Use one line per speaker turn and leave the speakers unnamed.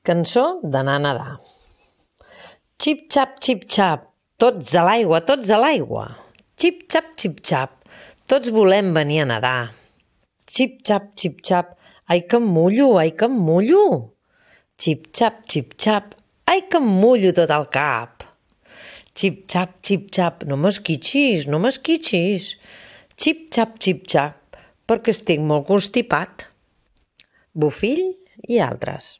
Cançó d'anar a nedar. Xip-xap, tots a l'aigua, tots a l'aigua. Xip-xap, tots volem venir a nedar. Xip-xap, ai que em mullo, ai que em mullo. Xip-xap, ai que em mullo tot el cap. Xip-xap, no m'esquitxis, no m'esquitxis. Xip-xap, perquè estic molt constipat. Bofill i altres.